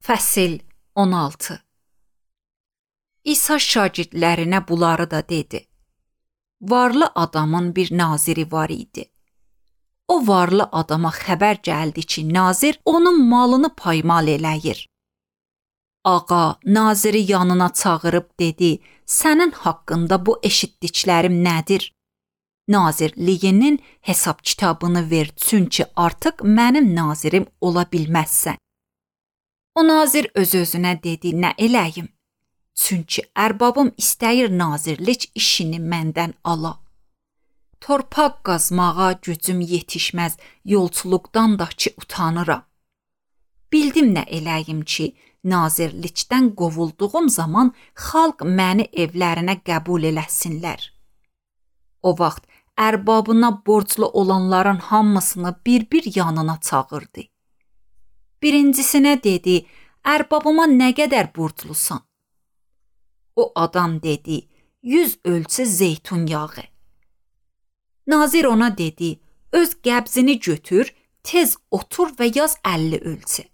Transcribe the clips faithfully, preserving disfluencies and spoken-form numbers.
Fəsil on altı. İsa şagirdlərinə bunları da dedi. Varlı adamın bir naziri var idi. O varlı adama xəbər gəldi ki, nazir onun malını paymal eləyir. Ağa, naziri yanına çağırıb dedi, sənin haqqında bu eşitdiklərim nədir? Nazirliyinin hesab kitabını ver, çünki artıq mənim nazirim ola bilməzsən. O nazir öz-özünə dedi, nə eləyim? Çünki ərbabım istəyir nazirlik işini məndən ala. Torpaq qazmağa gücüm yetişməz, yolçuluqdan da ki utanıram. Bildim nə eləyim ki, nazirlikdən qovulduğum zaman xalq məni evlərinə qəbul eləsinlər. O vaxt ərbabına borclu olanların hamısını bir-bir yanına çağırdı. Birincisinə dedi, ərbabıma nə qədər borclusan? O adam dedi, yüz ölçü zeytun yağı. Nazir ona dedi, öz qəbzini götür, tez otur və yaz əlli ölçü.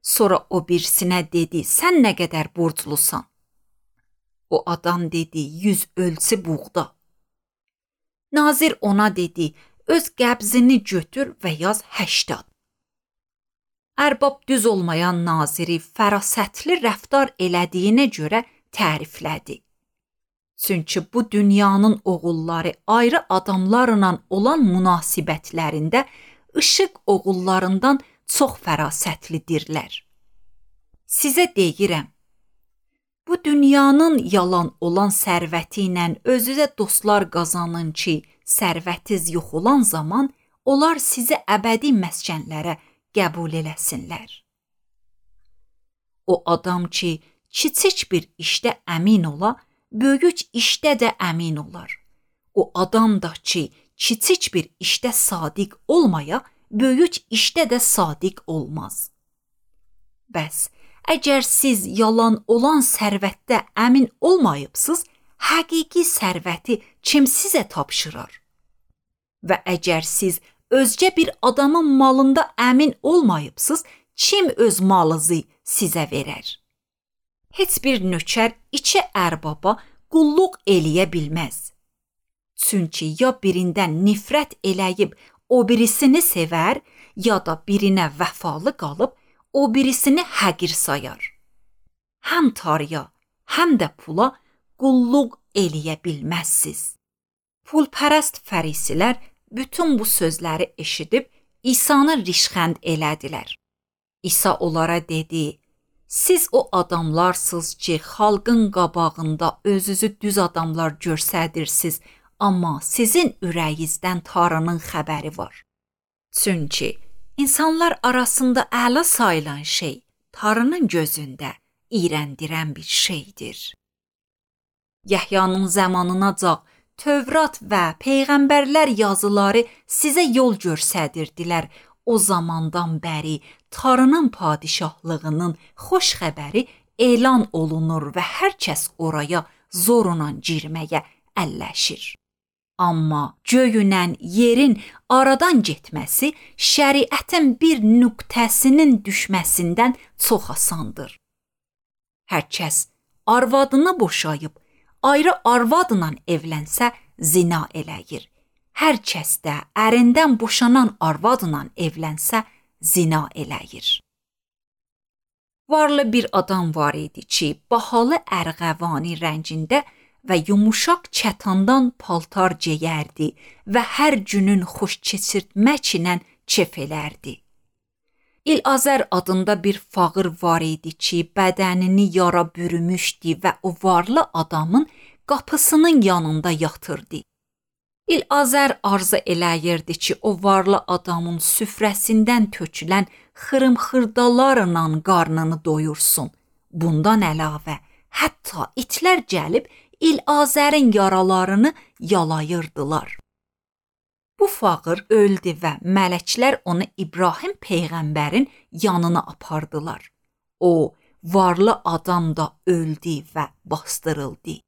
Sonra o birisinə dedi, sən nə qədər borclusan? O adam dedi, yüz ölçü buğda. Nazir ona dedi, öz qəbzini götür və yaz həştad. Ərbab düz olmayan naziri fərasətli rəftar elədiyinə görə təriflədi. Çünki bu dünyanın oğulları ayrı adamlarla olan münasibətlərində işıq oğullarından çox fərasətlidirlər. Sizə deyirəm, bu dünyanın yalan olan sərvəti ilə özünüzə dostlar qazanın ki, sərvətiz yox olan zaman onlar sizi əbədi məskənlərə qəbul eləsinlər. O adam ki, kiçik bir işdə əmin ola, böyük işdə də əmin olar. O adam da ki, kiçik bir işdə sadiq olmaya, böyük işdə də sadiq olmaz. Bəs, əgər siz yalan olan sərvətdə əmin olmayıbsınız, həqiqi sərvəti kim sizə tapşırar? Və əgər siz özgə bir adamın malında əmin olmayıbsınız, kim öz malınızı sizə verər? Heç bir nökər iki ərbaba qulluq eləyə bilməz. Çünki ya birindən nifrət eləyib o birisini sevər, ya da birinə vəfalı qalıb o birisini həqir sayar. Həm tarıya, həm də pula qulluq eləyə bilməzsiz. Pulpərəst fərisilər bütün bu sözləri eşidib İsanı rişxənd elədilər. İsa onlara dedi, siz o adamlarsınız ki, xalqın qabağında özünüzü düz adamlar görsədirsiniz, amma sizin ürəyinizdən Tanrının xəbəri var. Çünki insanlar arasında əla sayılan şey Tanrının gözündə iyrəndirən bir şeydir. Yəhyanın zamanınacan Tövrat və Peyğəmbərlər yazıları sizə yol göstərirdilər. O zamandan bəri Tanrının padişahlığının xoş xəbəri elan olunur və hər kəs oraya zorla girməyə əlləşir. Amma göyünən yerin aradan getməsi şəriətin bir nöqtəsinin düşməsindən çox asandır. Hər kəs arvadını boşayıb ayrı arvadla evlənsə zina eləyir. Hər kəs də ərindən boşanan arvadla evlənsə zina eləyir. Varlı bir adam var idi ki, bahalı ərğəvani rəngində və yumuşaq kətandan paltar geyərdi və hər günün xoş keçirtmək ilə kef elərdi. İlazər adında bir fağır var idi ki, bədənini yara bürümüşdü və o varlı adamın qapısının yanında yatırdı. İlazər arzu eləyirdi ki, o varlı adamın süfrəsindən tökülən xırım-xırdalarla qarnını doyursun. Bundan əlavə, hətta itlər gəlib İlazərin yaralarını yalayırdılar. Bu fağır öldü və mələklər onu İbrahim Peyğəmbərin yanına apardılar. O, varlı adam da öldü və bastırıldı.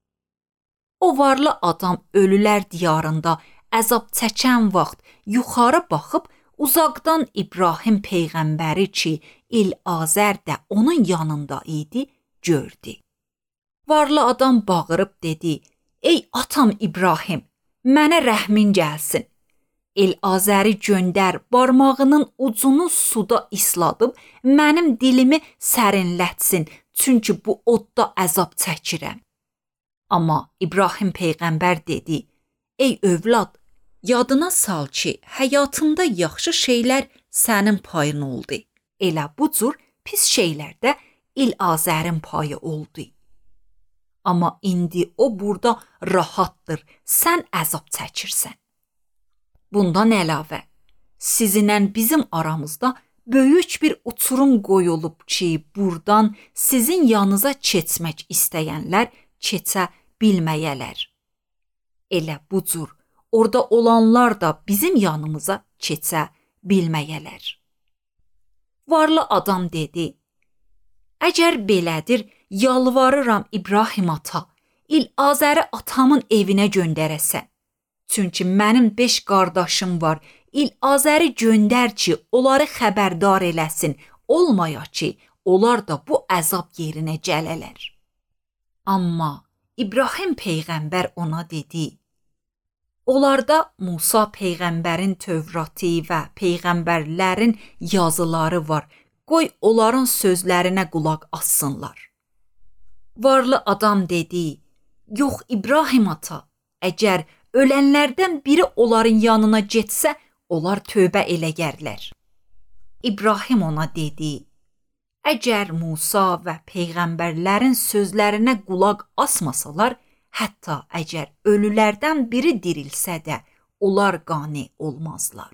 O varlı adam ölülər diyarında əzab çəkən vaxt yuxarı baxıb uzaqdan İbrahim peyğəmbəri ki, İl-Azər də onun yanında idi, gördü. Varlı adam bağırıb dedi: "Ey atam İbrahim, mənə rəhmin gəlsin. İl-Azəri göndər, barmağının ucunu suda isladıb mənim dilimi sərinlətsin, çünki bu odda əzab çəkirəm." Amma İbrahim peyğəmbər dedi: "Ey övlad, yadına sal ki, həyatında yaxşı şeylər sənin payın oldu. Elə bu cür pis şeylərdə İl-Azərin payı oldu. Amma indi o burada rahatdır, sən əzab çəkirsən. Bundan əlavə, sizinlə bizim aramızda böyük bir uçurum qoyulub ki, buradan sizin yanınıza keçmək istəyənlər keçə bilməyələr. Elə bu cür orada olanlar da bizim yanımıza keçə bilməyələr." Varlı adam dedi: "Əgər belədir, yalvarıram İbrahim ata, İl-Azəri atamın evinə göndərəsən. Çünki mənim beş qardaşım var, İl-Azəri göndər ki, onları xəbərdar eləsin, olmaya ki, onlar da bu əzab yerinə gələlər." Amma İbrahim peyğəmbər ona dedi: "Onlarda Musa peyğəmbərin Tövratı və peyğəmbərlərin yazıları var. Qoy onların sözlərinə qulaq assınlar." Varlı adam dedi: "Yox İbrahim ata, əgər ölənlərdən biri onların yanına getsə, onlar tövbə eləyərlər." İbrahim ona dedi: "Əgər Musa və peyğəmbərlərin sözlərinə qulaq asmasalar, hətta əgər ölülərdən biri dirilsə də, onlar qane olmazlar."